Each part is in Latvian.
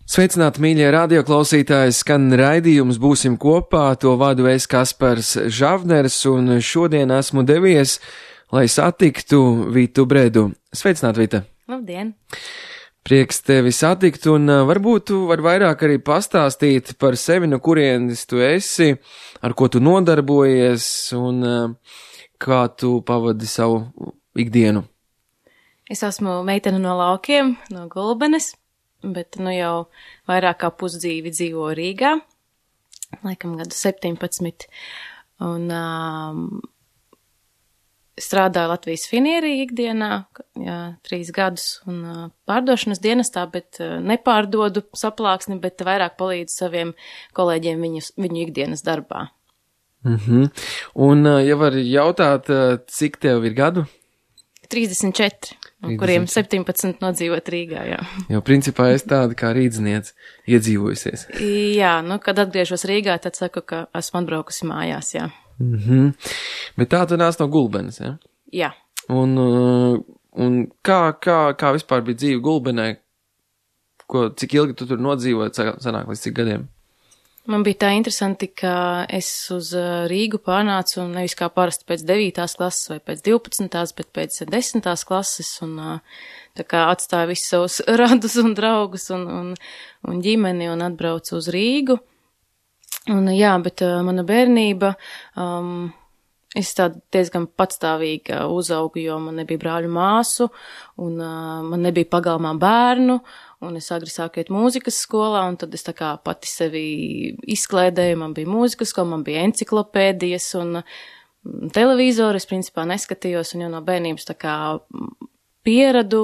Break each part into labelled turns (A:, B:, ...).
A: Sveicināti, mīļie radioklausītāji, skan raidījums Būsim kopā, to vadu es Kaspars Žavners, un šodien esmu devies, lai satiktu Vitu Bredu. Sveicināti, Vita!
B: Labdien!
A: Prieks tevi satikt, un varbūt tu vari vairāk arī pastāstīt par sevi, no kurienes tu esi, ar ko tu nodarbojies, un kā tu pavadi savu ikdienu.
B: Es esmu meitene no laukiem, no Gulbenes, bet nu jau vairāk kā pusdzīvi dzīvo Rīgā, laikam gadu 17, un strādāju Latvijas finierī ikdienā, 3 gadus, un pārdošanas dienestā, bet nepārdodu saplāksni, bet vairāk palīdzu saviem kolēģiem viņu ikdienas darbā.
A: Un, ja var jautāt, cik tev ir gadu?
B: 34, no kuriem 17 nodzīvot Rīgā, jā.
A: Jo principā es tāda kā rīdzniece iedzīvojusies.
B: Jā, nu, kad atgriežos Rīgā, tad saku, ka esmu atbraukusi mājās, jā.
A: Bet tā tu nāc no Gulbenes, ja?
B: Jā.
A: Un kā vispār bija dzīve Gulbenē? Cik ilgi tu tur nodzīvoji, sanāk līdz cik gadiem?
B: Man bija tā interesanti, ka es uz Rīgu pārnācu nevis kā parasti pēc 9. klases vai pēc 12. bet pēc 10. klases, un tā kā atstāju visus savus radus un draugus un ģimeni un atbraucu uz Rīgu. Un jā, bet mana bērnība, es tāda diezgan patstāvīga uzaugu, jo man nebija brāļu māsu, un man nebija pagalmā bērnu, un es agri sāku iet mūzikas skolā, un tad es tā kā pati sevi izklēdēju, man bija mūzikas skola, man bija enciklopēdijas, un televizoru es principā neskatījos, un jau no bērnības tā kā pieradu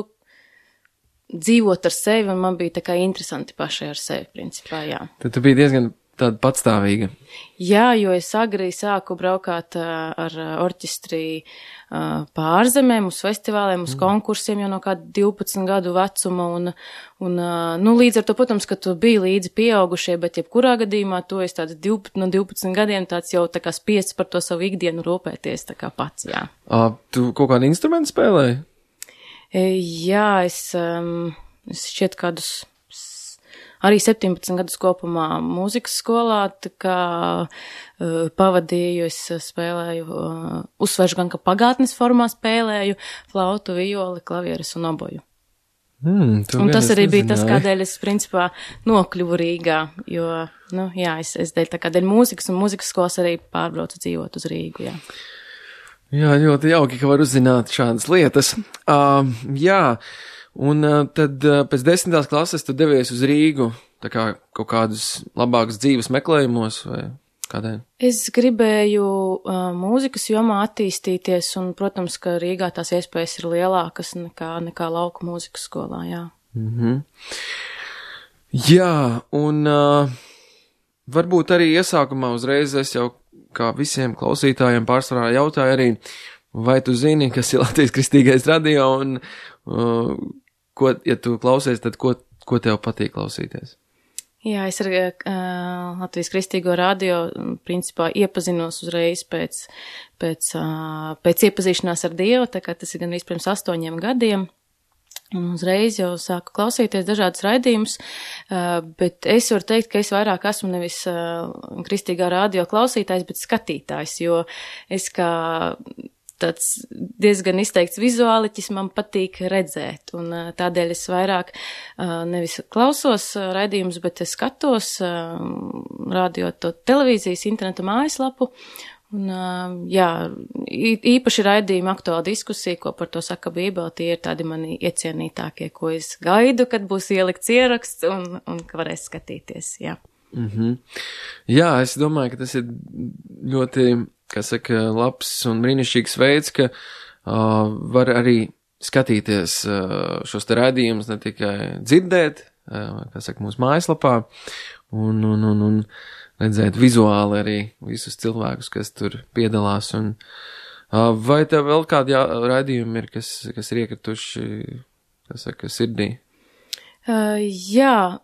B: dzīvot ar sevi, un man bija tā kā interesanti pašai ar sevi, principā, jā.
A: Tad tu biji diezgan tāda patstāvīga.
B: Jā, jo es agri sāku braukāt ar orķestri pārzemēm, uz festivāliem, uz konkursiem jau no kāda 12 gadu vecuma, un nu, līdz ar to, protams, ka tu biji līdzi pieaugušie, bet jebkurā gadījumā tu esi tāds no 12 gadiem tāds jau tā kā spiests par to savu ikdienu rūpēties, tā kā pats, jā.
A: Tu kaut kādu instrumentu spēlēji?
B: Jā, es šķiet kādus arī 17 gadus kopumā mūzikas skolā, tā kā pavadīju, es spēlēju, uzsveršu gan, ka pagātnes formā spēlēju flautu, violi, klavieres un oboju. Un tas arī bija tas, kādēļ es, principā, nokļuvu Rīgā, jo, nu, jā, es dēļ tā kā dēļ mūzikas un mūzikas skolas arī pārbraucu dzīvot uz Rīgu, jā.
A: Jā, ļoti jauki, ka var uzzināt šādas lietas. Jā. Un tad pēc 10. klases tu devies uz Rīgu, tā kā kaut kādus labākus dzīves meklējumos vai kādēļ?
B: Es gribēju mūzikas jomā attīstīties, un, protams, ka Rīgā tās iespējas ir lielākas nekā lauku mūzikas skolā, jā.
A: Jā, un varbūt arī iesākumā uzreiz es jau kā visiem klausītājiem pārsvarā jautāju arī, vai tu zini, kas ir Latvijas Kristīgais radio, un ja tu klausies, tad ko tev patīk klausīties?
B: Jā, es ar Latvijas Kristīgo radio principā iepazinos uzreiz pēc iepazīšanās ar Dievu, tā kā tas ir gan pirms 8 gadiem. Un uzreiz jau sāku klausīties dažādas raidījumus, bet es varu teikt, ka es vairāk esmu nevis Kristīgā radio klausītājs, bet skatītājs, jo es kā tāds diezgan izteikts vizuāliķis man patīk redzēt, un tādēļ es vairāk nevis klausos raidījumus, bet es skatos radio to televīzijas, interneta mājaslapu, un jā, īpaši raidījumi aktuāla diskusija, ko par to saka Bībele, tie ir tādi mani iecienītākie, ko es gaidu, kad būs ielikts ieraksts un ka varēs skatīties, jā.
A: Jā, es domāju, ka tas ir ļoti, kā saka, labs un brīnišķīgs veids, ka var arī skatīties šos te raidījumus, ne tikai dzirdēt, kā saka, mūsu mājaslapā, un redzēt vizuāli arī visus cilvēkus, kas tur piedalās. Un, vai tev vēl kādi raidījumi ir, kas ir iekrituši, kā saka, sirdī?
B: Jā,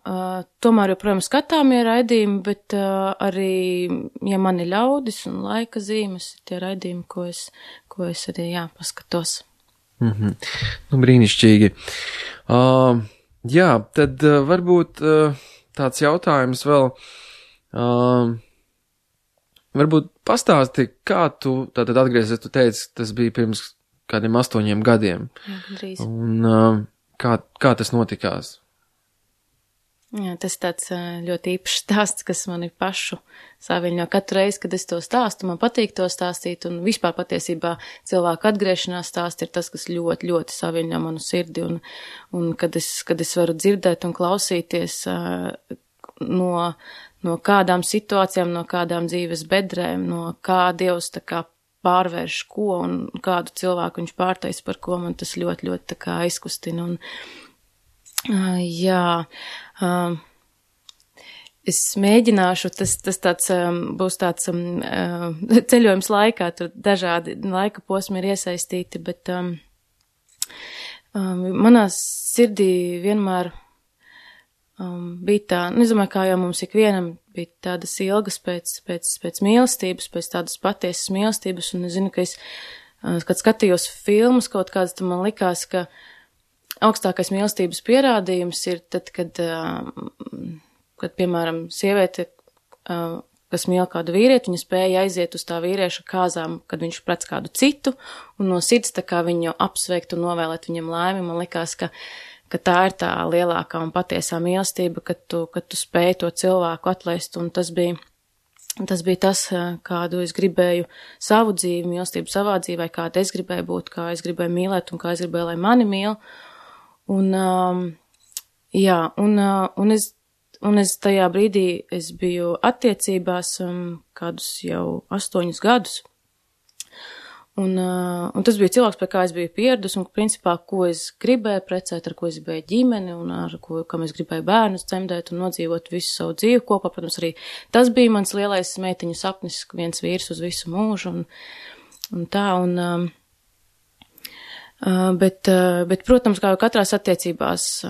B: tomēr joprojām skatāmie raidījumi, bet arī, ja man ir ļaudis un laika zīmes, tie raidījumi, ko es arī, paskatos.
A: Nu, brīnišķīgi. Jā, tad varbūt tāds jautājums vēl. Varbūt pastāsti, kā tu tātad atgriezies, tu teici, tas bija pirms kādiem 8 gadiem.
B: Jā,
A: un kā tas notikās?
B: Jā, tas tāds ļoti īpašs stāsts, kas mani pašu saviņo. Katru reizi, kad es to stāstu, man patīk to stāstīt, un vispār patiesībā cilvēku atgriešanās stāsts ir tas, kas ļoti, ļoti saviņo manu sirdi, un kad es varu dzirdēt un klausīties no kādām situācijām, no kādām dzīves bedrēm, no kā Dievs tā kā pārvērš ko un kādu cilvēku viņš pārtais par ko, man tas ļoti, ļoti tā kā aizkustina. Un, es mēģināšu, tas tāds būs tāds ceļojums laikā, tur dažādi laika posmi ir iesaistīti, bet manā sirdī vienmēr bija tā, nezinu, kā jau mums ikvienam bija tādas ilgas pēc mīlestības, pēc tādas patiesas mīlestības, un es zinu, ka kad skatījos filmas kaut kādas, tad man likās, ka augstākais mīlestības pierādījums ir tad, kad piemēram, sieviete, kas mīl kādu vīrieti, viņa spēja aiziet uz tā vīrieša kāzām, kad viņš prec kādu citu, un no sirds tā kā viņu apsveikt un novēlēt viņam laimi. Man likās, ka tā ir tā lielākā un patiesā mīlestība, kad tu spēj to cilvēku atlaist, un tas bija tas, kādu es gribēju savu dzīvi, mīlestību savā dzīvē, kāda es gribēju būt, kā es gribēju mīlēt un kā es gribēju, lai mani mīl. Un es tajā brīdī es biju attiecībās kādus jau 8 gadus. Un tas bija cilvēks, pie kā es biju pieradus, un principā, ko es gribēju precēt, ar ko es gribēju ģimeni, un kam es gribēju bērnus cemdēt un nodzīvot visu savu dzīvi kopā. Protams, arī tas bija mans lielais meitiņu sapnis, viens vīrs uz visu mūžu, un tā, bet, protams, kā jau katrās attiecībās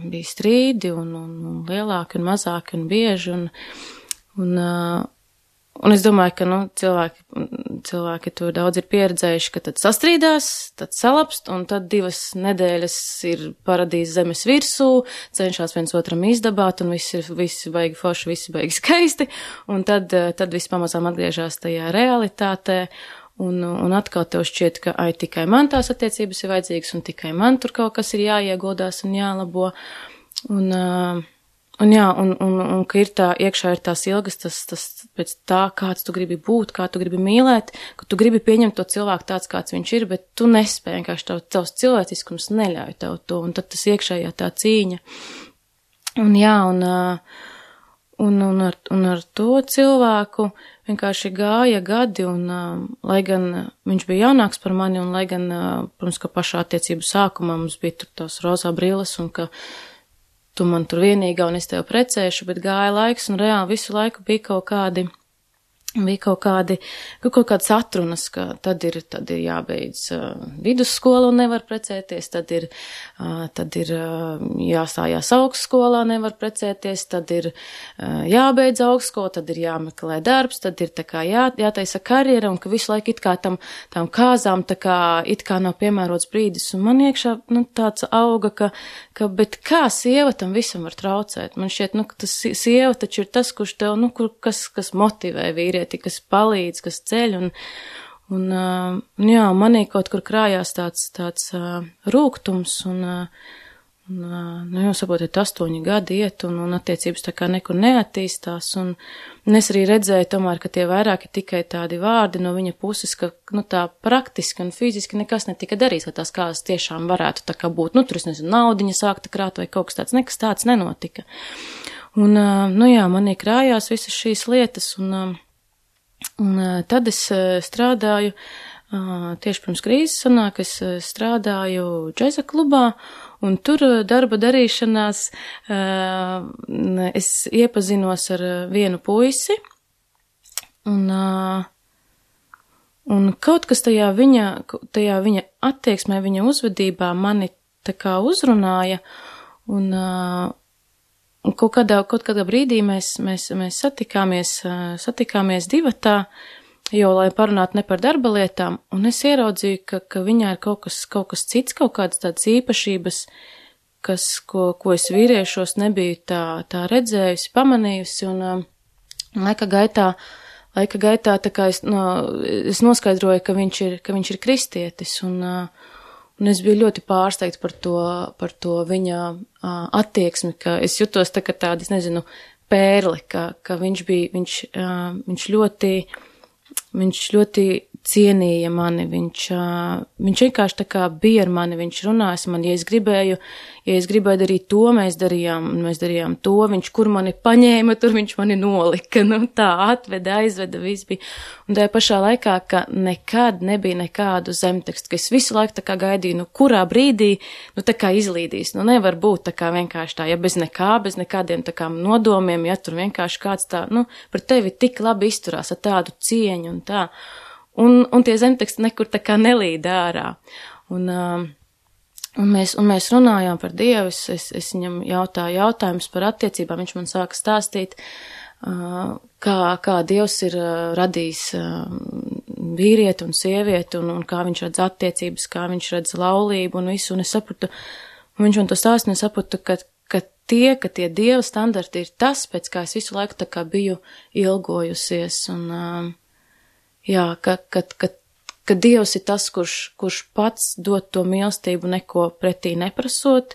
B: bija strīdi un lielāki un mazāki un bieži, un es domāju, ka, cilvēki to daudz ir pieredzējuši, ka tad sastrīdās, tad salapst, un tad 2 nedēļas ir paradīze zemes virsū, cenšas viens otram izdabāt, un visi baigi forši, visi baigi skaisti, un tad viss pamazām atgriežas tajā realitātē, un atkal tev šķiet, ka tikai man tās attiecības ir vajadzīgas, un tikai man tur kaut kas ir jāieguldās un jālabo, un ka ir iekšā ir tās ilgas, tas pēc tā, kāds tu gribi būt, kā tu gribi mīlēt, ka tu gribi pieņemt to cilvēku tāds, kāds viņš ir, bet tu nespēji, vienkārši tavs cilvēciskums neļauj tev to, un tad tas iekšējā tā cīņa. Un ar to cilvēku vienkārši gāja gadi, un lai gan viņš bija jaunāks par mani, un lai gan, protams, ka pašā attiecību sākumā mums bija tur tās rozā brilles, un ka tu man tur vienīgā un es tev precēšu, bet gāja laiks, un reāli visu laiku bija kaut kādas atrunas, ka tad ir jābeidz vidussskola un nevar precēties, tad ir jāstājās augstskolā, nevar precēties, tad ir jābeidz augstskola, tad ir jāmeklē darbs, tad ir tā kā jātaisa karjera, un ka visu laiku it kā tām kāzām tā kā it kā nav piemērots brīdis, un man iekšā, tāds auga, ka bet kā sieva tam visam var traucēt? Man šķiet, ka tas sieva taču ir tas, kurš tev, kas motivē vīrieti, kas palīdz, kas ceļ, un manī kaut kur krājās tāds rūgtums, jau saprotiet, 8 gadi iet, un attiecības tā kā nekur neattīstās, un es arī redzēju tomēr, ka tie vairāk ir tikai tādi vārdi no viņa puses, ka, tā praktiski un fiziski nekas netika darīts, lai tās kāzas tiešām varētu tā kā būt, tur es nezinu, naudiņa sākta krāt vai kaut kas tāds, nekas tāds nenotika. Un, manī krājās visas šīs lietas, un tad es strādāju, tieši pirms krīzes sanāk, es strādāju džeza klubā, un tur darba darīšanās es iepazinos ar vienu puisi, un kaut kas tajā viņa attieksmē, viņa uzvedībā mani tā kā uzrunāja, un kaut kādā brīdī mēs satikāmies divatā, jo, lai parunātu ne par darba lietām, un es ieraudzīju, ka viņā ir kaut kas cits, kaut kādas tādas īpašības, ko es vīriešos nebiju tā redzējusi, pamanījusi, un laika gaitā tā kā es noskaidroju, ka viņš ir kristietis, un es biju ļoti pārsteigta par to viņa attieksmi, ka es jutos tā kā tāda, es nezinu, pērli, ka viņš ļoti cienīja mani, viņš vienkārši tā kā bija ar mani, viņš runāja ar mani, ja es gribēju darīt to, mēs darījām to, viņš kur mani paņēma, tur viņš mani nolika, tā atveda, aizveda, viss bija. Un tajā pašā laikā, ka nekad nebija nekādu zemtekstu, ka es visu laiku tā kā gaidīju, kurā brīdī, tā kā izlīdīs, nevar būt tā kā vienkārši tā, ja bez nekādiem tā kā nodomiem, ja tur vienkārši kāds tā, par tevi tik labi izturās ar tādu cieņu un tā. Un tie zemteksti nekur tā kā nelīd ārā. Un mēs runājām par Dievu, es viņam jautāju jautājumus par attiecībām, viņš man sāka stāstīt, kā Dievs ir radījis vīrieti un sievieti, un kā viņš redz attiecības, kā viņš redz laulību un visu, un es sapratu, un viņš man to stāst, un es sapratu, ka tie Dieva standarti ir tas, pēc kā es visu laiku tā kā biju ilgojusies, un jā, ka Dievs ir tas, kurš pats dod to mīlestību neko pretī neprasot,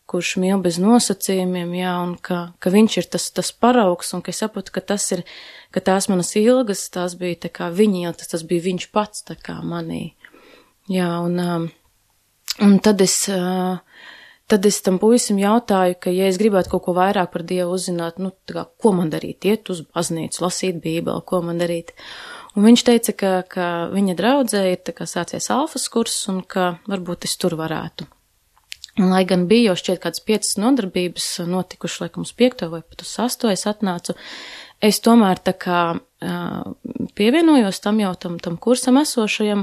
B: kurš mīl bez nosacījumiem, jā, un ka viņš ir tas paraugs, un ka es saprotu, ka tās manas ilgas, tās bija tā kā viņa ilgas, tas bija viņš pats tā kā manī. Jā, un tad es tam puisim jautāju, ka ja es gribētu kaut ko vairāk par Dievu uzzināt, tā kā, ko man darīt, iet uz baznīcu, lasīt Bībeli, ko man darīt. Un viņš teica, ka viņa draudzē ir tā kā sācies alfas kurs un ka varbūt es tur varētu. Un, lai gan bija jau šķiet kādas 5 nodarbības notikuši, laikam uz 5. vai pat uz 8. es atnācu, es tomēr tā kā pievienojos tam kursam esošajam.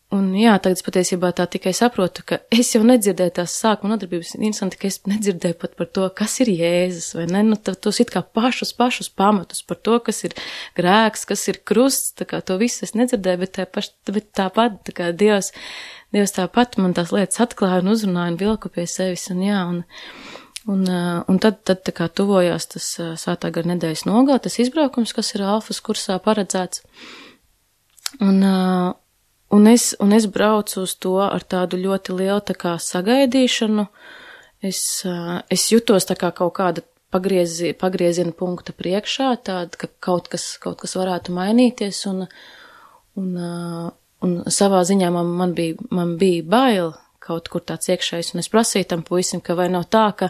B: Un jā, tagad patiesībā tā tikai saprotu, ka es jau nedzirdēju tās sākuma nodarbības, interesanti, ka es nedzirdēju pat par to, kas ir Jēzus, vai ne, tos it kā pašus pamatus par to, kas ir grēks, kas ir krusts, tā kā to visu es nedzirdēju, bet tāpat, tā kā Dievs tāpat man tās lietas atklāja un uzrunāja un vilku pie sevis, un jā, un tad tā kā tuvojās tas Svētā gara nedēļas nogalē, tas izbraukums, kas ir alfas kursā paredzēts, un es braucu uz to ar tādu ļoti lielu tā kā sagaidīšanu. Es jutos tā kā kaut kāda pagrieziena punkta priekšā, tāda, ka kaut kas varētu mainīties, un savā ziņā man bija bail kaut kur tāds iekšējs, un es prasīju tam puisim, ka vai nav tā, ka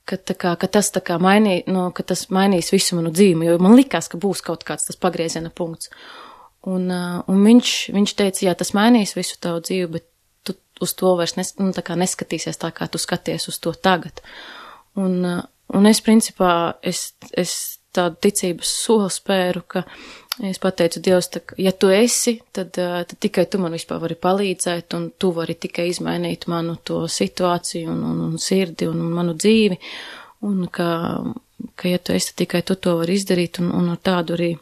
B: tas tā kā ka tas mainīs visu manu dzīvi, jo man likās, ka būs kaut kāds tas pagrieziena punkts. Un viņš teica, jā, tas mainīs visu tavu dzīvi, bet tu uz to vairs tā kā neskatīsies tā, kā tu skaties uz to tagad. Un es principā, es tādu ticības soli spēru, ka es pateicu Dievs, ja tu esi, tad tikai tu man vispār vari palīdzēt, un tu vari tikai izmainīt manu to situāciju un sirdi un manu dzīvi, un ka ja tu esi, tikai tu to vari izdarīt, un ar tādu arī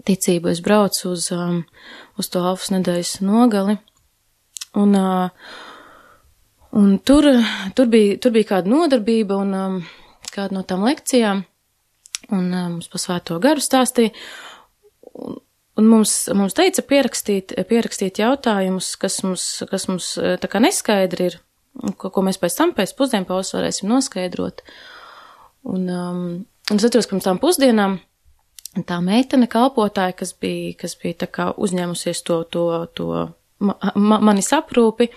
B: ticību es braucu uz to alfas nedēļas nogali, un tur bija kāda nodarbība un kāda no tām lekcijām, un mums pa Svēto garu stāstīja, un mums teica pierakstīt jautājumus, kas mums tā kā neskaidri ir, ko mēs pēc pusdienpauzes varēsim noskaidrot, un es atceros, ka pirms tām pusdienām tā meitene kalpotāja, kas bija tā kā uzņēmusies to manis aprūpi,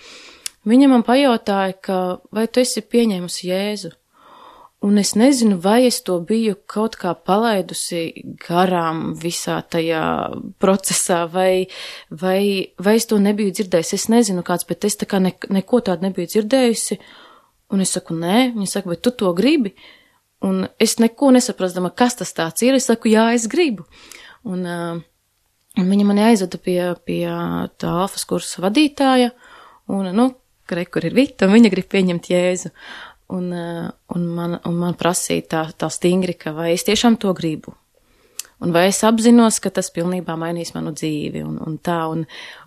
B: viņa man pajautāja, ka vai tu esi pieņēmusi Jēzu? Un es nezinu, vai es to biju kaut kā palaidusi garām visā tajā procesā, vai es to nebiju dzirdējusi. Es nezinu kāds, bet es tā kā neko tādu nebiju dzirdējusi. Un es saku, nē, viņa saka, bet tu to gribi? Un es neko nesaprastama, kas tas tāds ir. Es saku, jā, es gribu. Un viņa mani aizveda pie tā alfas kursa vadītāja, un, kur ir Vita, un viņa grib pieņemt Jēzu. Un man prasīja tā stingri, ka vai es tiešām to gribu. Un vai es apzinos, ka tas pilnībā mainīs manu dzīvi, un tā,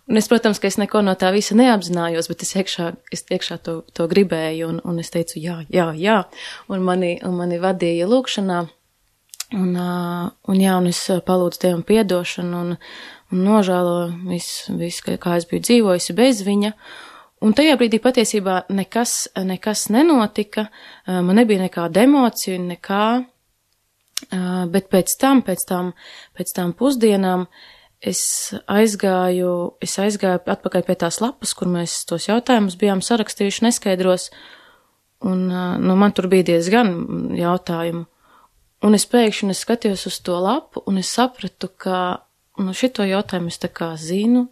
B: Un es, protams, ka es neko no tā visa neapzinājos, bet es iekšā to gribēju, un es teicu, jā, un mani vadīja lūkšanā, un es palūdzu Dievam piedošanu, un nožēloju visu, kā es biju dzīvojusi bez viņa. Un tajā brīdī patiesībā nekas nenotika, man nebija nekāda emocija, nekā, bet pēc tām pusdienām es aizgāju atpakaļ pie tās lapas, kur mēs tos jautājumus bijām sarakstījuši neskaidros, un man tur bija diezgan jautājumu. Un es pēkšņi skatījos uz to lapu, un es sapratu, ka šito jautājumu es tā kā zinu,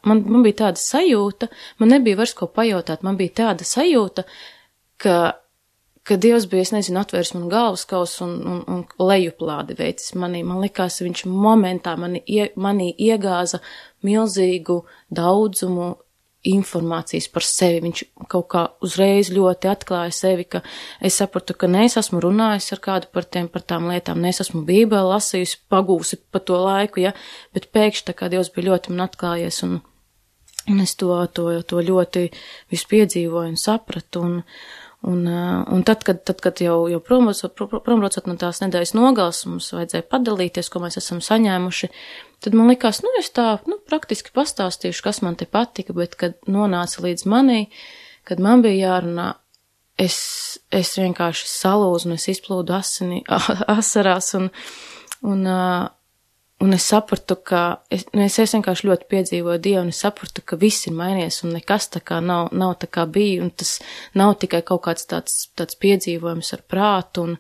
B: man bija tāda sajūta, man nebija vairs ko pajautāt, man bija tāda sajūta, ka Dievs bija, es nezinu, atvērs man galvaskausu un lejuplādi veicis manī. Man likās, viņš momentā manī iegāza milzīgu daudzumu informācijas par sevi. Viņš kaut kā uzreiz ļoti atklāja sevi, ka es sapratu, ka ne es esmu runājis ar kādu par tām lietām, ne es esmu Bībeli lasījusi, pagūsi pa to laiku, ja, bet pēkšņi tā kā Dievs bija ļoti man atklājies, un es to ļoti visu piedzīvoju un sapratu, un tad, kad jau prombraucot no tās nedēļas nogales, mums vajadzēja padalīties, ko mēs esam saņēmuši, tad man likās, es tā, praktiski pastāstīšu, kas man te patika, bet, kad nonāca līdz manī, kad man bija jārunā, es vienkārši salūzu, un es izplūdu asarās, un es sapratu, ka, es vienkārši ļoti piedzīvoju Dievu, un es sapratu, ka viss ir mainījies, un nekas tā kā nav tā kā bija, un tas nav tikai kaut kāds tāds piedzīvojums ar prātu,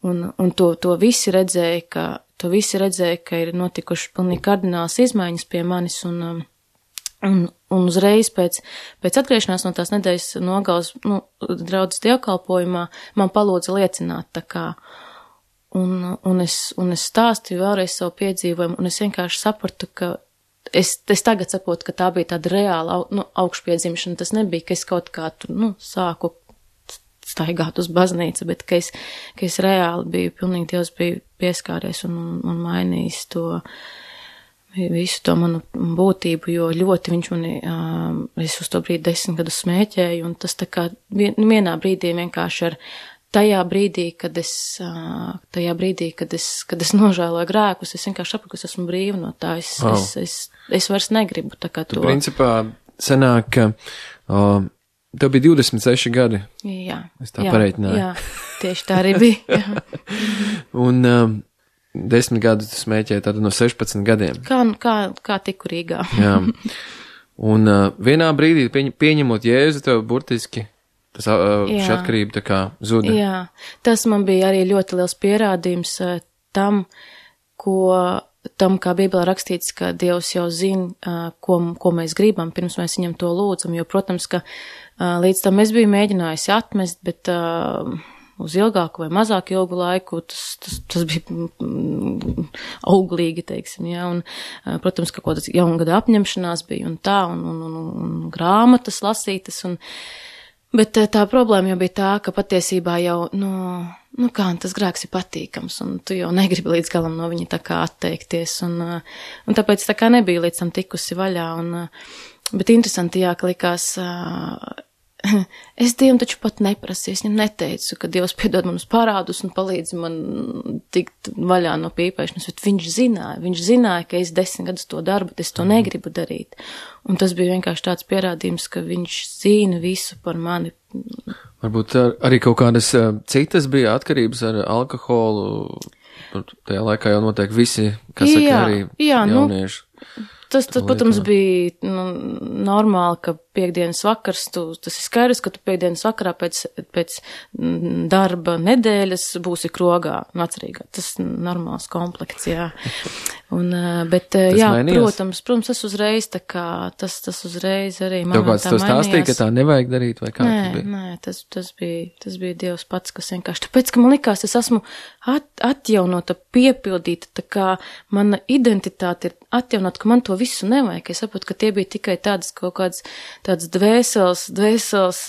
B: un to visi redzēja, ka ir notikuši pilnīgi kardināls izmaiņas pie manis, un uzreiz pēc atgriešanās no tās nedēļas nogales, draudzes dievkalpojumā, man palūdza liecināt tā kā, un es stāstīju vēlreiz savu piedzīvojumu, un es vienkārši sapratu, ka es tagad saprotu, ka tā bija tāda reāla augšpiedzimšana, tas nebija, ka es kaut kā tur, sāku staigāt uz baznīcu, bet ka es reāli biju, pilnīgi Dievs bija pieskāries un mainījis visu to manu būtību, jo ļoti viņš mani, es uz to brīdi 10 gadus smēķēju, un tas tā kā vienā brīdī vienkārši tajā brīdī, kad es nožēloju grēkus, es vienkārši sapratu, ka es esmu brīva no tā, es vairs negribu tā kā to.
A: Tu principā sanāk, ka tev bija 26 gadi.
B: Jā.
A: Es tā pareitināju.
B: Jā, tieši tā arī bija.
A: Un 10 gadus tu smēķēji tātad no 16 gadiem.
B: Kā tiku Rīgā.
A: Jā. Un vienā brīdī pieņemot Jēzu, tev burtiski šī atkarība tā kā zuda. Jā,
B: tas man bija arī ļoti liels pierādījums tam, kā Bībelē rakstīts, ka Dievs jau zina, ko mēs gribam, pirms mēs viņam to lūdzam, jo, protams, ka līdz tam es biju mēģinājusi atmest, bet uz ilgāku vai mazāku ilgu laiku tas bija auglīgi, teiksim, jā, un, protams, ka kaut kādas jaungada apņemšanās bija un tā, un grāmatas lasītas, bet tā problēma jau bija tā, ka patiesībā jau, kā tas grēks ir patīkams, un tu jau negribi līdz galam no viņa tā kā atteikties, un tāpēc tā kā nebija līdz tam tikusi vaļā, bet interesanti, jā, ka likās, es Dievam taču pat neprasīju, es viņam neteicu, ka Dievs piedod manus parādus un palīdz man tikt vaļā no pīpēšanas, bet viņš zināja, ka es 10 gadus to daru, bet es to negribu darīt. Un tas bija vienkārši tāds pierādījums, ka viņš zina visu par mani.
A: Varbūt arī kaut kādas citas bija atkarības ar alkoholu, tajā laikā jau noteikti visi, kas saka arī jaunieši.
B: Tas, protams, bija normāli, ka piekdienas vakars, tas ir skaidrs, ka tu piekdienas vakarā pēc darba nedēļas būsi krogā, atcerīgā. Tas normāls komplekts, jā. Bet, jā, protams, tas uzreiz tā kā, tas uzreiz arī man tā mainījās. Tev kāds to stāstīja, ka tā nevajag darīt, vai kā tas bija? Nē, tas bija Dievs pats, kas vienkārši, tāpēc, ka man likās, es esmu atjaunota, piepildīta, tā kā mana identitāte ir atjaunota, ka man to visu nevajag. Es saprotu, ka tie bija tikai tādas kaut kādas tādas dvēseles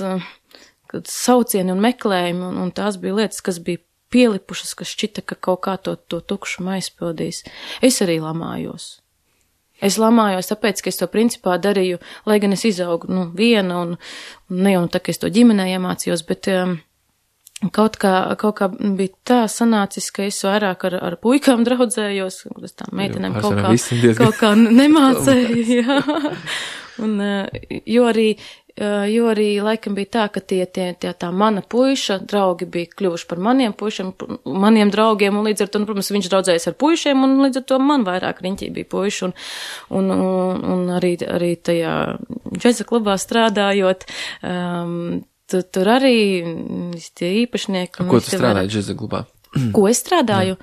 B: saucieni un meklējumi, un tās bija lietas, kas bija pielipušas, kas šķita, ka kaut kā to tukšumu aizpildīs. Es arī lamājos. Es lamājos tāpēc, ka es to principā darīju, lai gan es izaugu, viena un ne jau tā, ka es to ģimenē iemācījos, bet kaut kā bija tā sanācis, ka es vairāk ar puikām draudzējos, kuras tām meitenēm kaut kā nemācēju, jā. Un, jo arī laikam bija tā, ka tā mana puiša draugi bija kļuvuši par maniem puišiem, maniem draugiem, un līdz ar to, protams, viņš draudzējas ar puišiem, un līdz ar to man vairāk riņķī bija puiši, un arī tajā džeza klubā strādājot, tur arī tie īpašnieki.
A: Ko tu strādāji džeza klubā?
B: Ko es strādāju?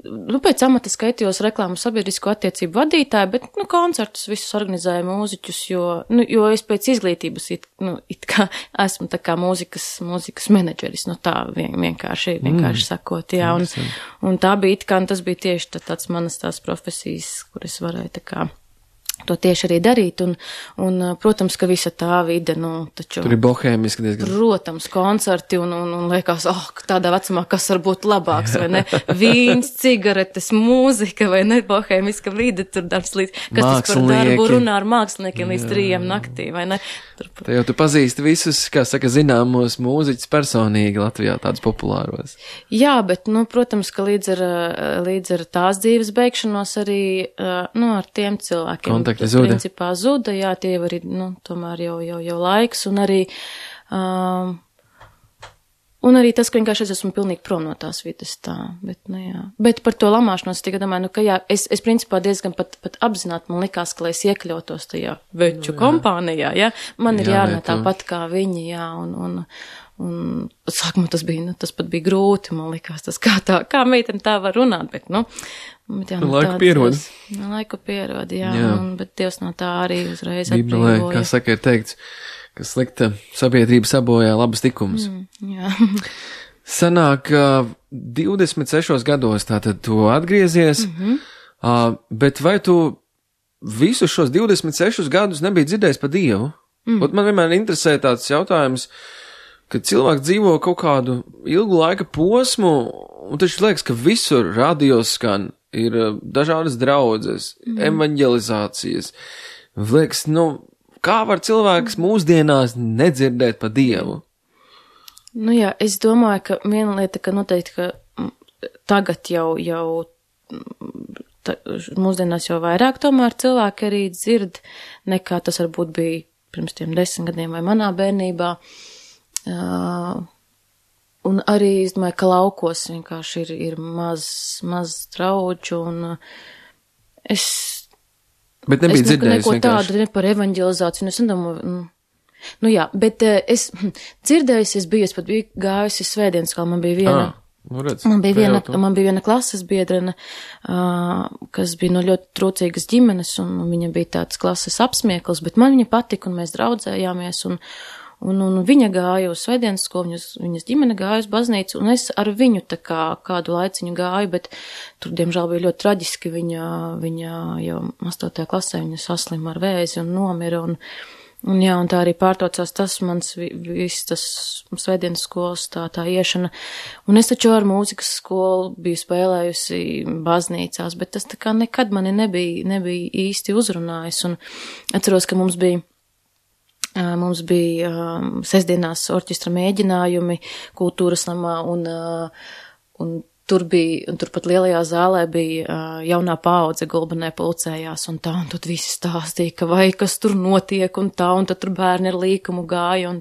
B: Pēc amata skaitījos reklāmu sabiedrisko attiecību vadītāju, bet, koncertus visus organizēju mūziķus, jo es pēc izglītības it kā esmu tā kā mūzikas menedžeris, tā vienkārši sakot, jā, un tā bija it kā, tas bija tieši tāds manas tās profesijas, kur es varēju tā kā to tieši arī darīt, un protams, ka visa tā vide, taču...
A: Tur ir bohēmiski diezgan.
B: Protams, koncerti, un liekas, tādā vecumā, kas var būt labāks, vai ne? Vīns, cigaretes, mūzika, vai ne? Bohēmiska vide, tur darbs līdz... Kas tas par darbu runā ar māksliniekiem līdz 3 naktī, vai ne?
A: Tā jau tu pazīsti visus, kā saka, zināmos mūziķus personīgi Latvijā, tādus populāros.
B: Jā, bet, protams, ka līdz ar tās dzīves beigšanos arī, ar tiem cilvēkiem. Principā zuda, jā, tie jau arī, tomēr jau laiks, un arī tas, ka vienkārši es esmu pilnīgi prom no tās vidas tā, bet, jā. Bet par to lamāšanos tikai domāju, ka jā, es principā diezgan pat apzināti man likās, ka lai es iekļautos tajā veču kompānijā, jā, man ir jārunā tāpat kā viņi, jā, un sākumā tas pat bija grūti, man likās tas, kā meitene tā var runāt, bet, Bet, jā, laiku pierod, jā. Bet Dievs no tā arī uzreiz atbrīvoja.
A: Bībelē, kā saka, ir teikts, ka slikta sabiedrība sabojā labas likumus.
B: Jā.
A: Sanāk, 26 gados tātad tu atgriezies, bet vai tu visus šos 26 gadus nebija dzirdējis par Dievu? Man vienmēr interesē tāds jautājums, kad cilvēks dzīvo kaut kādu ilgu laika posmu, un taču liekas, ka visur radios skan, ir dažādas draudzes, evaņģelizācijas. Liekas, kā var cilvēks mūsdienās nedzirdēt par Dievu?
B: Jā, es domāju, ka viena lieta, ka noteikti, ka tagad jau mūsdienās jau vairāk tomēr cilvēki arī dzird, nekā tas varbūt bija pirms tiem 10 gadiem vai manā bērnībā. Un arī, es domāju, ka laukos vienkārši ir maz draudžu, un
A: Bet nebija dzirdējis
B: neko tādu, ne par evaņģelizāciju, es nedomāju, jā, bet es dzirdējusi, es pat biju gājusi svētdienas, kā man bija viena. Man bija viena klases biedrene, kas bija no ļoti trūcīgas ģimenes, un viņa bija tāds klases apsmiekls, bet man viņa patika, un mēs draudzējāmies, un viņa gāja uz svētdienas skolu, viņas ģimene gāja uz baznīcu, un es ar viņu tā kā kādu laiciņu gāju, bet tur, diemžēl, bija ļoti traģiski, viņa jau 8. klasē, viņa saslima ar vēzi un nomira, un jā, un tā arī pārtaucās tas mans viss tas svētdienas skolas tā iešana, un es taču ar mūzikas skolu biju spēlējusi baznīcās, bet tas tā kā nekad mani nebija īsti uzrunājis, un atceros, ka mums bija sestdienās orķestra mēģinājumi kultūras namā, un turpat lielajā zālē bija jaunā paudze Gulbenē pulcējās, un tad visi stāstīja, ka vai kas tur notiek, un tad tur bērni ar līkumu gāja,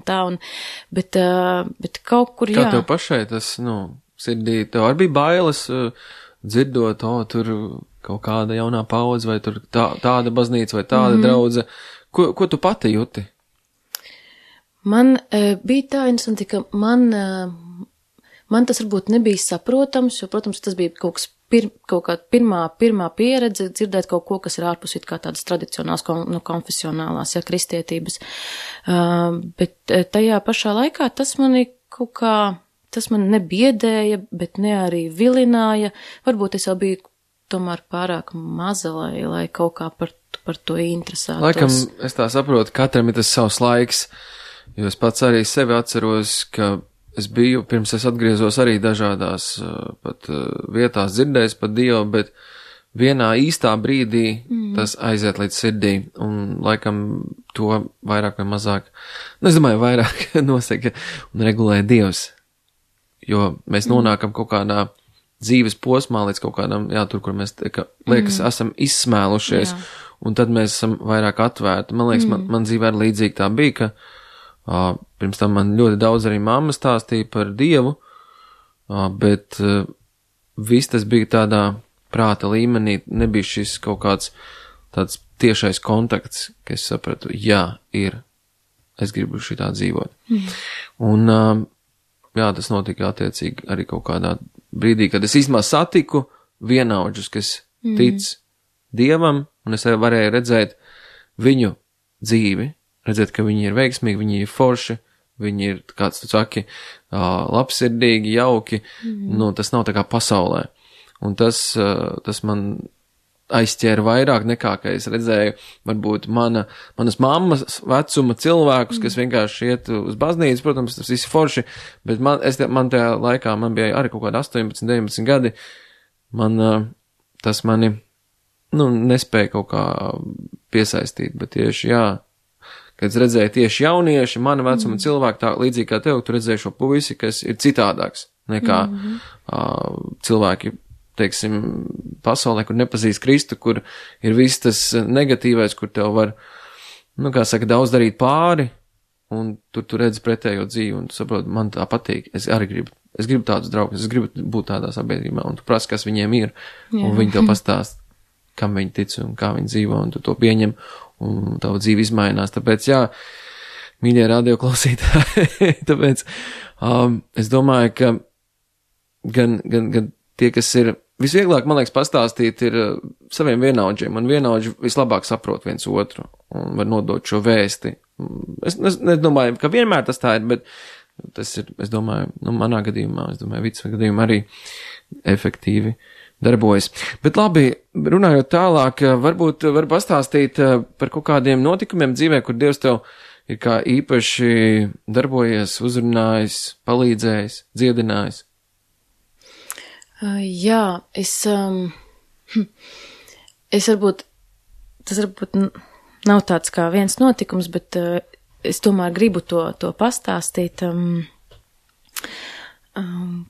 B: bet kaut kur, jā.
A: Kā tev pašai tas, sirdī, tev arī bija bailes, dzirdot, tur kaut kāda jaunā paudze, vai tur tāda baznīca, vai tāda draudze, ko tu pati jūti?
B: Man bija tā interesanti, ka man tas varbūt nebija saprotams, jo, protams, tas bija kaut kāda pirmā pieredze dzirdēt kaut ko, kas ir ārpus it kā tādas tradicionālās, konfesionālās, kristietības. Bet tajā pašā laikā tas mani nebiedēja, bet ne arī vilināja. Varbūt es jau biju tomēr pārāk maza, lai kaut kā par to interesētos.
A: Laikam, es tā saprotu, katram ir tas savs laiks. Jo es pats arī sevi atceros, ka es biju, pirms es atgriezos arī dažādās pat vietās dzirdējis par Dievu, bet vienā īstā brīdī tas aiziet līdz sirdī, un laikam to vairāk vai mazāk, es domāju, vairāk nosaka un regulē Dievs, jo mēs nonākam kaut kādā dzīves posmā līdz kaut kādam, tur, kur mēs, liekas, esam izsmēlušies, un tad mēs esam vairāk atvērti. Man liekas, man dzīvē arī līdzīgi tā bija, ka pirms tam man ļoti daudz arī mamma stāstīja par Dievu, bet viss tas bija tādā prāta līmenī, nebija šis kaut kāds tāds tiešais kontakts, ka es sapratu, es gribu šitā dzīvot. Un, tas notika attiecīgi arī kaut kādā brīdī, kad es īstenībā satiku vienaudžus, kas tic Dievam, un es varēju redzēt viņu dzīvi, redzēt, ka viņi ir veiksmīgi, viņi ir forši, viņi ir, kāds tu saki, labsirdīgi, jauki, tas nav tā kā pasaulē. Un tas man aizķēra vairāk nekā, ka es redzēju, varbūt manas mammas vecuma cilvēkus, kas vienkārši iet uz baznīcu, protams, tas viss forši, bet man tajā laikā, man bija arī kaut kādi 18, 19 gadi, tas mani, nespēja kaut kā piesaistīt, bet tieši, kad es redzēju tieši jaunieši, mana vecuma cilvēki, tā līdzīgi kā tev, tu redzēji šo puisi, kas ir citādāks nekā cilvēki, teiksim, pasaulē, kur nepazīst Kristu, kur ir viss tas negatīvais, kur tev var, daudz darīt pāri, un tur tu redzi pretējo dzīvi, un tu saproti, man tā patīk, es gribu tādus draugus, es gribu būt tādā sabiedrībā, un tu prasi, kas viņiem ir, un viņi tev pastāst, kam viņi tic un kā viņi dzīvo, un tu to pieņem, un tava dzīve izmainās, tāpēc, mīļie radioklausītāji, tāpēc, es domāju, ka gan tie, kas ir visvieglāk, man liekas, pastāstīt ir saviem vienaudžiem, un vienaudži vislabāk saprot viens otru un var nodot šo vēsti. Es nedomāju, ka vienmēr tas tā ir, bet tas ir, es domāju, manā gadījumā, Vica gadījumā arī efektīvi darbojas. Bet labi, runājot tālāk, varbūt var pastāstīt par kaut kādiem notikumiem dzīvē, kur Dievs tev ir kā īpaši darbojies, uzrunājis, palīdzējis, dziedinājis.
B: Es varbūt, tas varbūt nav tāds kā viens notikums, bet es tomēr gribu to pastāstīt,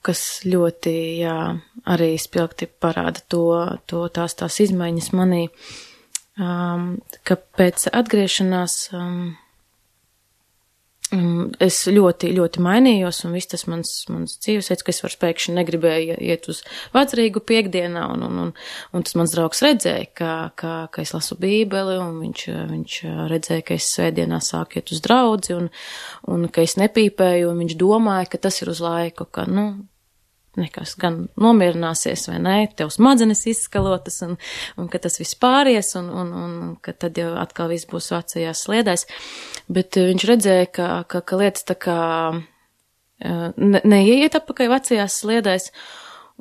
B: kas ļoti, arī spilgti parāda tās izmaiņas manī, ka pēc atgriešanās es ļoti, ļoti mainījos, un viss tas mans dzīvesveids, ka es vairs pēkšņi negribēju iet uz vecrīgu piekdienā, un tas mans draugs redzēja, ka es lasu bībeli, un viņš redzēja, ka es svētdienā sāku iet uz draudzi, un ka es nepīpēju, un viņš domāja, ka tas ir uz laiku, ka, nekas gan nomierināsies vai nē, tev smadzenes izskalotas, un ka tas viss pāries, un ka tad jau atkal viss būs vecajās sliedēs. Bet viņš redzēja, ka lietas tā kā neieiet atpakaļ vecajās sliedēs,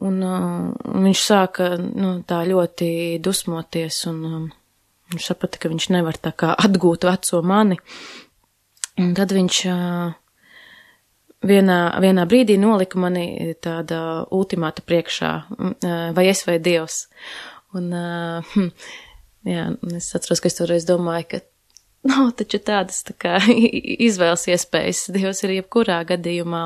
B: un viņš sāka, tā ļoti dusmoties, un viņš saprata, ka viņš nevar tā kā atgūt veco mani. Un tad viņš vienā brīdī nolika mani tāda ultimāta priekšā, vai es vai Dievs. Un, es atceros, ka es toreiz domāju, ka nav taču tādas tā kā izvēles iespējas. Dievs ir jebkurā gadījumā,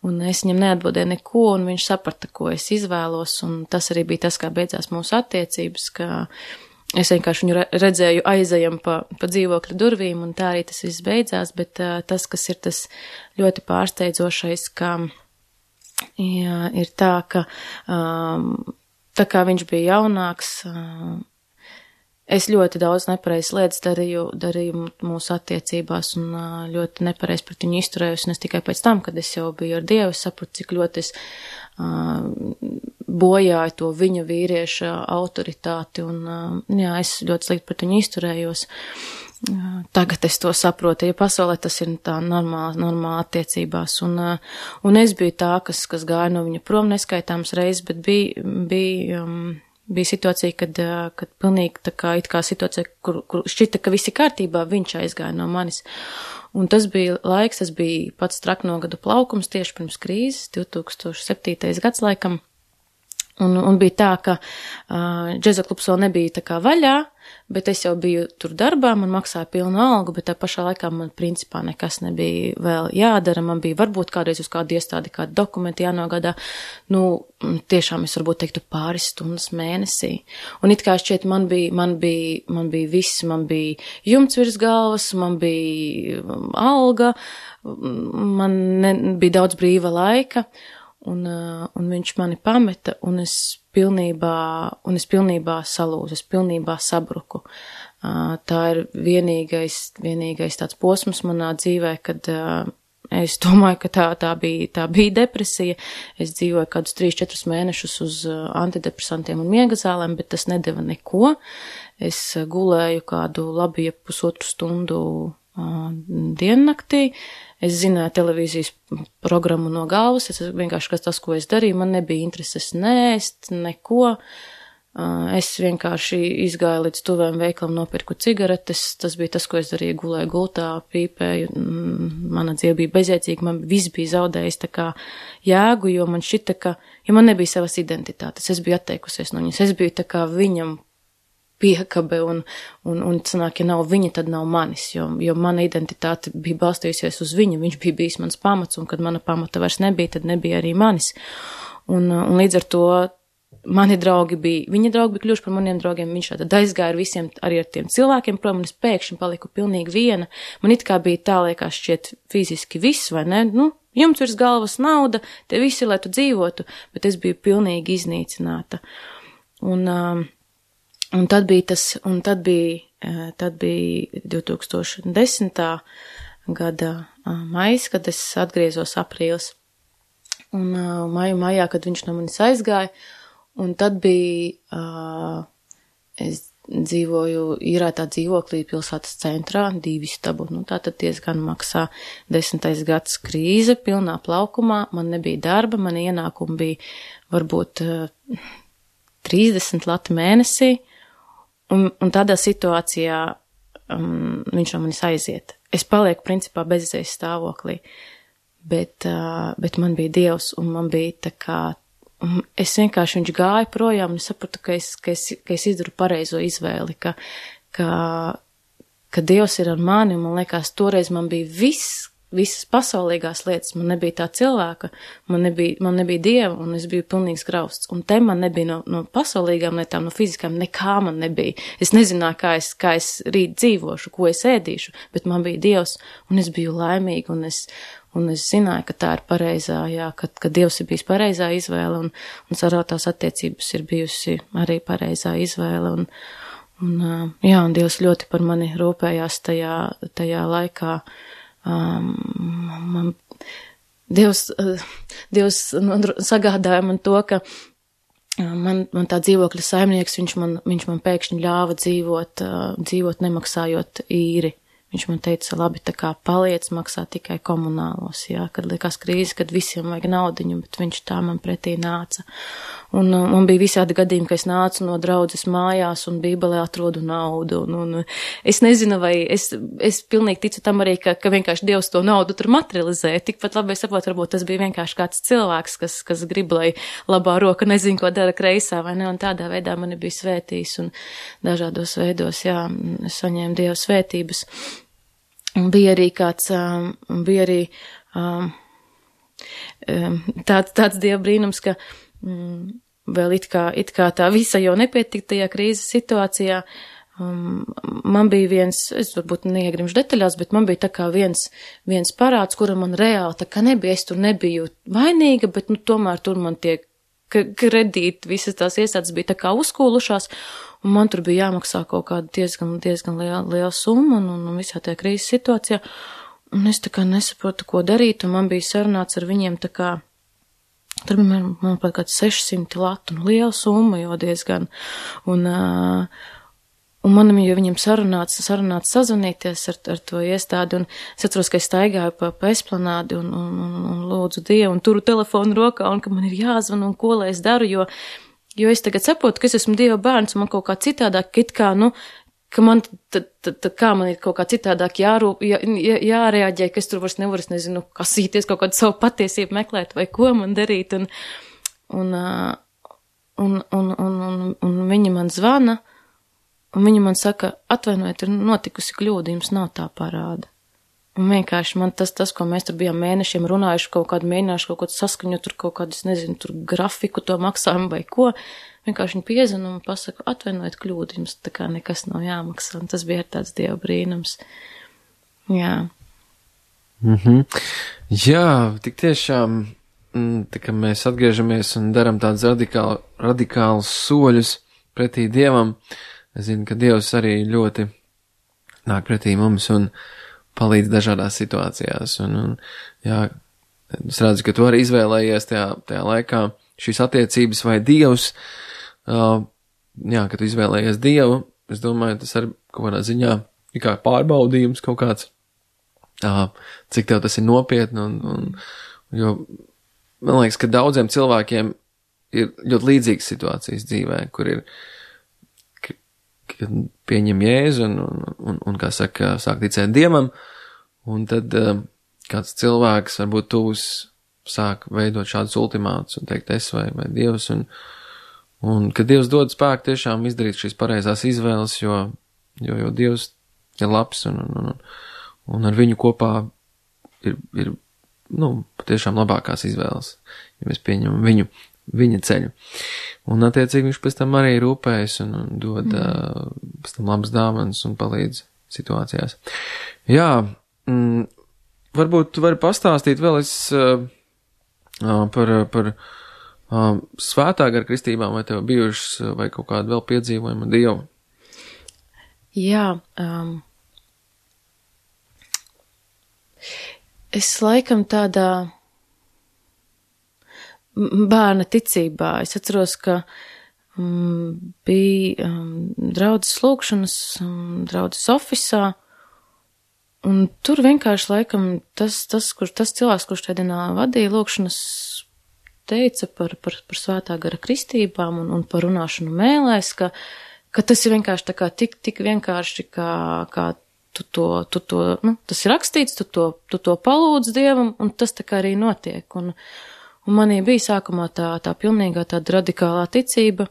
B: un es viņam neatbildēju neko, un viņš saprata, ko es izvēlos, un tas arī bija tas, kā beidzās mūsu attiecības, ka es vienkārši viņu redzēju aizejam pa dzīvokļa durvīm, un tā arī tas viss beidzās, bet tas, kas ir tas ļoti pārsteidzošais, ka ir tā, ka tā kā viņš bija jaunāks, es ļoti daudz nepareizas lietas darīju mūsu attiecībās, un ļoti nepareizi pret viņu izturējos, un es tikai pēc tam, kad es jau biju ar Dievu, sapratu, cik ļoti es bojāju to viņa vīrieša autoritāti, un es ļoti slikti pret viņu izturējos. Tagad es to saprotu, ja pasaulē tas ir tā normāla attiecībās, un es biju tā, kas gāja no viņa prom neskaitāms reizes, bet bija situācija, kad pilnīgi tā kā it kā situācija, kur šķita, ka visi kārtībā, viņš aizgāja no manis. Un tas bija laiks, tas bija pats traknogadu plaukums tieši pirms krīzes, 2007. gads laikam. Un bija tā, ka džeza klubs vēl nebija tā kā vaļā, bet es jau biju tur darbā, man maksāja pilnu algu, bet tā pašā laikā man principā nekas nebija vēl jādara. Man bija varbūt kādreiz uz kādu iestādi, kādu dokumentu jānogādā. Tiešām es varbūt teiktu pāris stundas mēnesī. Un it kā šķiet, man bija viss, man bija jumts virs galvas, man bija alga, bija daudz brīva laika. Un viņš mani pameta, un es pilnībā salūzu, es pilnībā sabruku. Tā ir vienīgais tāds posms manā dzīvē, kad es domāju, ka tā bija depresija. Es dzīvoju kādus 3-4 mēnešus uz antidepresantiem un miega zālēm, bet tas nedeva neko. Es gulēju kādu labi 1,5 stundu diennaktī. Es zināju televīzijas programmu no galvas, es vienkārši tas, ko es darīju, man nebija intereses nēst, neko. Es vienkārši izgāju līdz tuvēm veikalam, nopirku cigaretes, tas bija tas, ko es darīju, gulēju gultā, pīpēju, mana dzīve bija bezjēdzīga, man viss bija zaudējis tā kā jēgu, jo man šita, jo man nebija savas identitātes, es biju atteikusies no viņas, es biju tā kā viņam piekabe un sanāk, ja nav viņa, tad nav manis, jo mana identitāte bija balstījusies uz viņu, viņš bija bijis mans pamats, un kad mana pamata vairs nebija, tad nebija arī manis. Un līdz ar to viņa draugi bija kļuvuši par maniem draugiem, viņš tad aizgāja ar visiem, arī ar tiem cilvēkiem, prom, un es pēkšņi paliku pilnīgi viena. Man it kā bija tā, liekas, šķiet fiziski viss, vai ne? Jumts virs galvas, nauda, te visi, lai tu dzīvotu, bet es biju pilnīgi iznīcināta. Un tad bija 2010. Gada maijs, kad es atgriezos aprīlis. Un maijā, kad viņš no manis aizgāja, un tad bija, es dzīvoju īrētā dzīvoklī pilsētas centrā, 2 istabu, tātad diezgan maksā 10. gads krīze, pilnā plaukumā, man nebija darba, man ienākumi bija varbūt 30 lati mēnesī. Un tādā situācijā viņš no manis aiziet. Es palieku principā bezizējas stāvoklī, bet man bija Dievs, un man bija tā kā, es vienkārši viņš gāja projām, un es sapratu, ka es izdaru pareizo izvēli, ka Dievs ir ar mani, un man liekas, toreiz man bija visas pasaulīgās lietas, man nebija tā cilvēka, man nebija Dieva, un es biju pilnīgs grausts. Un te man nebija no pasaulīgām lietām, no fiziskām, nekā man nebija. Es nezināju, kā es rīt dzīvošu, ko es ēdīšu, bet man bija Dievs, un es biju laimīga, un es zināju, ka tā ir pareizā, ka Dievs ir bijis pareizā izvēle, un sarotās attiecības ir bijusi arī pareizā izvēle, un Dievs ļoti par mani rūpējās tajā laikā. Dievs sagādāja man to, ka man tā dzīvokļa saimnieks, viņš man pēkšņi ļāva dzīvot nemaksājot īri. Viņš man teica, labi, tā kā paliec, maksā tikai komunālos, kad likās krīze, kad visiem vajag naudiņu, bet viņš tā man pretī nāca. Un man bija visādi gadījumi, ka es nācu no draudzes mājās un bībelē atrodu naudu. Un es nezinu, vai es pilnīgi ticu tam arī, ka vienkārši Dievs to naudu tur materializē. Tikpat labi es saprotu, varbūt tas bija vienkārši kāds cilvēks, kas grib, lai labā roka nezin, ko dara kreisā, vai ne? Un tādā veidā mani bija svētījis un dažādos veidos, es saņēmu Dieva svētības. Un bija arī tāds Dieva brīnums, ka vēl it kā tā visa jau nepietika tajā krīzes situācijā. Man bija viens, es varbūt neiegrimšu detaļās, bet man bija tā kā viens parāds, kura man reāli tā kā nebija, es tur nebiju vainīga, bet tomēr tur man tie kredīti, visas tās iestādes bija tā kā uzkūlušās, un man tur bija jāmaksā kaut kāda diezgan liela summa, un visā tajā krīzes situācijā, un es tā kā nesaprotu, ko darīt, un man bija sarunāts ar viņiem tā kā, tur bija, manuprāt, kāds 600 latu, liela summa jau diezgan, un man jau viņam sarunāts sazvanīties ar to iestādi, un es atceros, ka es staigāju pa esplanādi un lūdzu Dievu, un turu telefonu rokā, un ka man ir jāzvan, un ko lai es daru, jo es tagad saprotu, ka es esmu Dieva bērns, un man kaut kā citādāk, ka man, kā man ir kaut kā citādāk jārēģē, ka es tur vairs nevaru, es nezinu, kasīties, kaut kādu savu patiesību meklēt, vai ko man darīt, un viņi man zvana, un viņi man saka, atvainojiet, ir notikusi kļūda, jums nav tā parāda. Un vienkārši man tas, ko mēs tur bijām mēnešiem runājuši, kaut kādu mēģinājuši kaut ko saskaņot, tur kaut kādu, nezinu, tur grafiku to maksājumu vai ko, vienkārši viņi piezina un pasaka, atvainojiet kļūdu, jums tā kā nekas nav jāmaksā. Un tas bija tāds Dieva brīnums. Jā.
A: Jā, tik tiešām, tā kā mēs atgriežamies un daram tādus radikālus soļus pretī Dievam, es zinu, ka Dievs arī ļoti nāk pretī mums un palīdz dažādās situācijās. Un jā, es redzu, ka tu arī izvēlējies tajā laikā šīs attiecības vai Dievs. Jā, ka tu izvēlējies Dievu, es domāju, tas arī kaut kādā ziņā ir kā pārbaudījums kaut kāds, cik tev tas ir nopietni. Jo man liekas, ka daudziem cilvēkiem ir ļoti līdzīgas situācijas dzīvē, kur ir kad pieņem Jēzu un kā saka, sāk ticēt Dievam, un tad kāds cilvēks, varbūt tuvs, sāk veidot šādus ultimātus un teikt es vai Dievs, un kad Dievs dod spēku tiešām izdarīt šīs pareizās izvēles, jo Dievs ir labs, un ar viņu kopā ir patiešām labākās izvēles, ja mēs pieņemam viņa ceļu. Un attiecīgi viņš pēc tam arī rūpējas un dod pēc tam labas dāvanas un palīdz situācijās. Jā, varbūt tu vari pastāstīt vēl par svētā gara kristībām, vai tev bijušas, vai kaut kādu vēl piedzīvojumu Dievu?
B: Jā, es laikam tādā bērna ticībā. Es atceros, ka bija draudzes lūkšanas, draudzes ofisā, un tur vienkārši laikam tas cilvēks, kurš tajā dienā vadīja lūkšanas, teica par svētā gara kristībām un par runāšanu mēlēs, ka tas ir vienkārši tā kā tik vienkārši, kā tu to, tas ir rakstīts, tu to palūdz Dievam, un tas tā kā arī notiek. Un manī bija sākumā tā pilnīgā tāda radikālā ticība,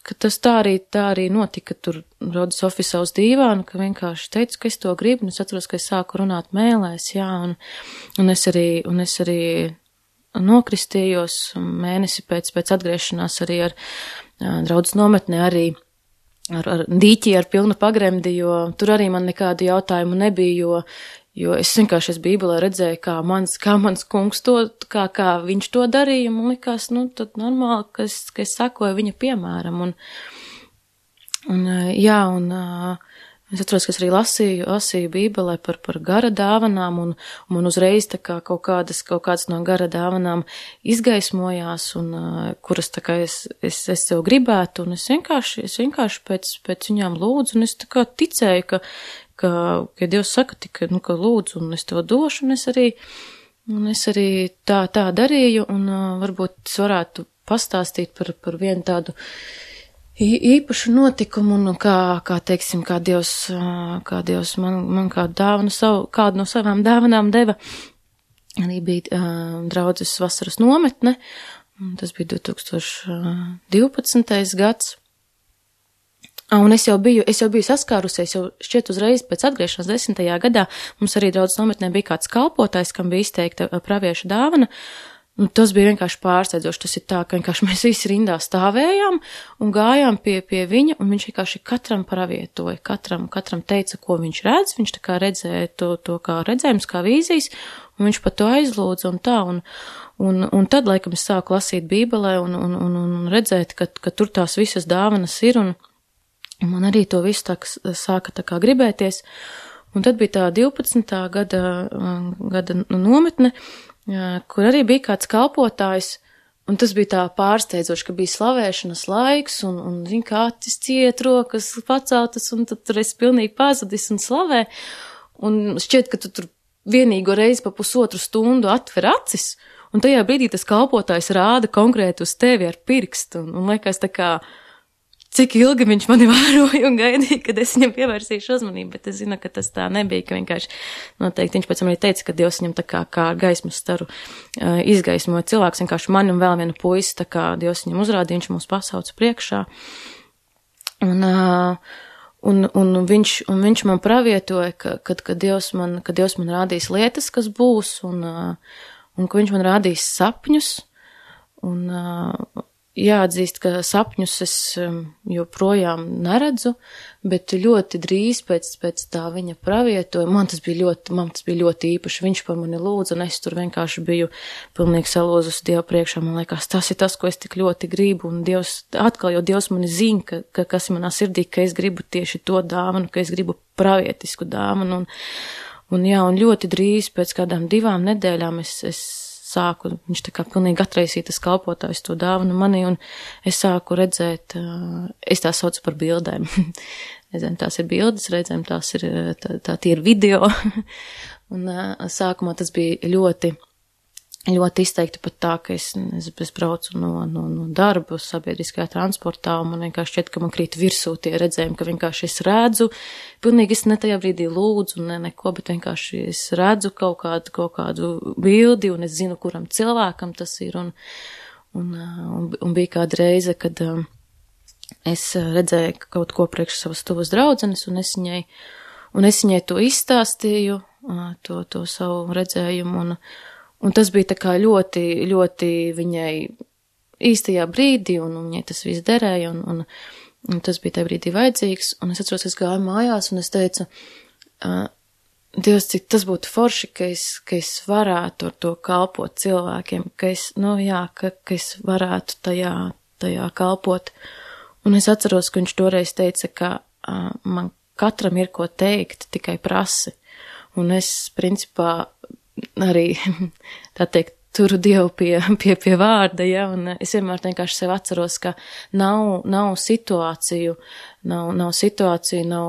B: ka tas tā arī notika tur rodas ofisā uz dīvānu, ka vienkārši teicu, ka es to gribu, un es atceros, ka es sāku runāt mēlēs, jā, un es arī nokristījos mēnesi pēc atgriešanās arī ar draudzes nometnē, arī ar dīķi, ar pilnu pagremdi, jo tur arī man nekādu jautājumu nebija, jo es vienkārši Bībelē redzēju, kā mans kungs to, kā viņš to darīja, man likās, tad normāli, ka es sakoju viņa piemēram, un es atceros, ka es arī lasīju Bībelē par gara dāvanām, un uzreiz tā kā kaut kādas no gara dāvanām izgaismojās, un kuras tā kā es sev gribētu, un es vienkārši pēc viņām lūdzu, un es tā kā ticēju, ka Dievs saka, ka lūdzu, un es to došu, un es arī tā darīju, un varbūt es varētu pastāstīt par vienu tādu īpašu notikumu, un kā teiksim, kā Dievs man kādu no savām dāvanām deva. Arī bija draudzes vasaras nometne, un tas bija 2012. gads. Un es jau biju saskārusies, jau šķiet uzreiz pēc atgriešanās 10. gadā, mums arī draudzes nometnē bija kāds kalpotājs, kam bija izteikta pravieša dāvana, un tas bija vienkārši pārsteidzoši. Tas ir tā, ka vienkārši mēs visi rindā stāvējām un gājām pie viņa, un viņš vienkārši katram pravietoja, katram teica, ko viņš redz, viņš tā kā redzēja to kā redzējums, kā vīzijas, un viņš par to aizlūdza un tā, un tad, laikam, es sāku lasīt Bībelē un redzēt, ka tur tās visas dāvanas ir, un man arī to visu sāka tā kā gribēties, un tad bija tā 12. gada nometne, kur arī bija kāds kalpotājs, un tas bija tā pārsteidzoši, ka bija slavēšanas laiks, un zin, kā acis ciet, rokas paceltas, un tad tur es pilnīgi pazudis un slavē, un šķiet, ka tu tur vienīgo reizi pa pusotru stundu atver acis, un tajā brīdī tas kalpotājs rāda konkrēti uz tevi ar pirkstu, un liekas tā kā, cik ilgi viņš mani vēroja un gaidīja, kad es viņam pievērsīšu uzmanību, bet es zinu, ka tas tā nebija, ka vienkārši noteikti viņš pēc tam arī teica, ka Dievs viņam tā kā gaismas staru izgaismoja cilvēks, vienkārši mani un vēl vienu puisi, tā kā Dievs viņam uzrādīja, viņš mūs pasauca priekšā. Un viņš man pravietoja, ka Dievs man rādīs lietas, kas būs, un ka viņš man rādīs sapņus, un jāatzīst, ka sapņus es joprojām neredzu, bet ļoti drīz pēc tā viņa pravietoja, man tas bija ļoti īpaši, viņš par mani lūdza, un es tur vienkārši biju pilnīgi salūzus Dievu priekšā, man liekas, tas ir tas, ko es tik ļoti gribu, un jo Dievs mani zina, kas ir manā sirdī, ka es gribu tieši to dāvanu, ka es gribu pravietisku dāvanu, un ļoti drīz pēc kādām 2 nedēļām es sāku, viņš tā kā pilnīgi atraisīja tas kalpotājs to dāvanu manī, un es sāku redzēt, es tā saucu par bildēm. Reizēm tās ir bildes, reizēm tās ir, tie ir video. Un sākumā tas bija ļoti izteikti pat tā, ka es braucu no darba sabiedriskajā transportā, un man vienkārši šķiet, ka man krīt virsū tie redzējumi, ka vienkārši es redzu, pilnīgi es ne tajā brīdī lūdzu, neko, bet vienkārši es redzu kaut kādu bildi, un es zinu, kuram cilvēkam tas ir, un bija kāda reize, kad es redzēju kaut ko priekš savas tuvas draudzenes, un es viņai to izstāstīju, to savu redzējumu, un tas bija tā kā ļoti, ļoti viņai īstajā brīdī, un viņai tas viss derēja, un tas bija tajā brīdī vajadzīgs, un es atceros, es gāju mājās, un es teicu, Dievs, cik tas būtu forši, ka es varētu ar to kalpot cilvēkiem, ka es varētu tajā kalpot. Un es atceros, ka viņš toreiz teica, ka man katram ir ko teikt, tikai prasi. Un es, principā, arī, tā teikt, turu Dievu pie vārda, ja, un es vienmēr vienkārši sev atceros, ka nav situāciju, nav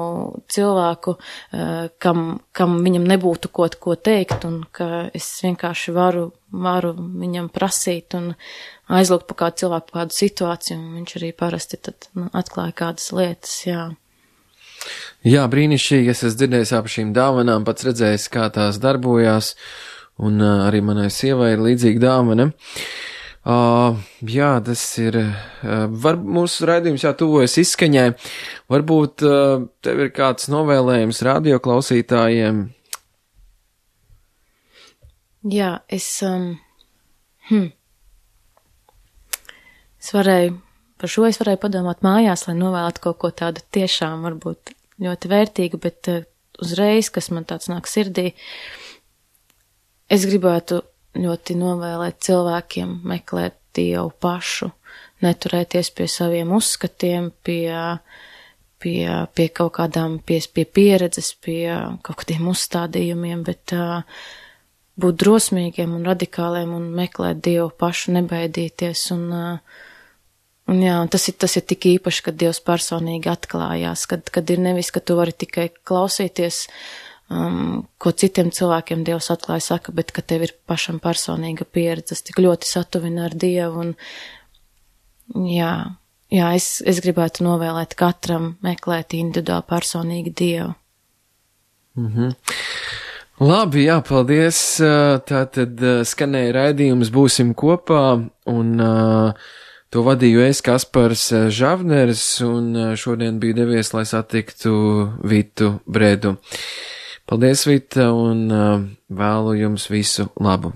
B: cilvēku, kam viņam nebūtu ko teikt, un ka es vienkārši varu viņam prasīt un aizlūgt par kādu cilvēku, par kādu situāciju, un viņš arī parasti tad atklāja kādas lietas, jā.
A: Jā, brīnišķīgi, es esmu dzirdējis ap šīm dāvanām, pats redzējis, kā tās darbojās, un arī manai sievai ir līdzīga dāvana. Jā, tas ir, mūsu raidījums tuvojas izskaņai, varbūt tev ir kāds novēlējums radioklausītājiem?
B: Jā, es varēju padomāt mājās, lai novēlētu kaut ko tādu tiešām varbūt ļoti vērtīgu, bet uzreiz, kas man tāds nāk sirdī, es gribētu ļoti novēlēt cilvēkiem meklēt Dievu pašu, neturēties pie saviem uzskatiem, pie kaut kādām, pie pieredzes, pie kaut kādiem uzstādījumiem, bet būt drosmīgiem un radikāliem un meklēt Dievu pašu, nebaidīties un jā, un tas ir tik īpaši, kad Dievs personīgi atklājās, kad ir nevis, ka tu vari tikai klausīties, ko citiem cilvēkiem Dievs atklāja saka, bet ka tev ir pašam personīga pieredze, tas tik ļoti satuvina ar Dievu, un jā, es gribētu novēlēt katram meklēt individuāli personīgi Dievu.
A: Labi, jā, paldies, tātad skanēja raidījums Būsim kopā, un to vadīju es, Kaspars Žavners, un šodien biju devies, lai satiktu Vitu Bredu. Paldies, Vita, un vēlu jums visu labu.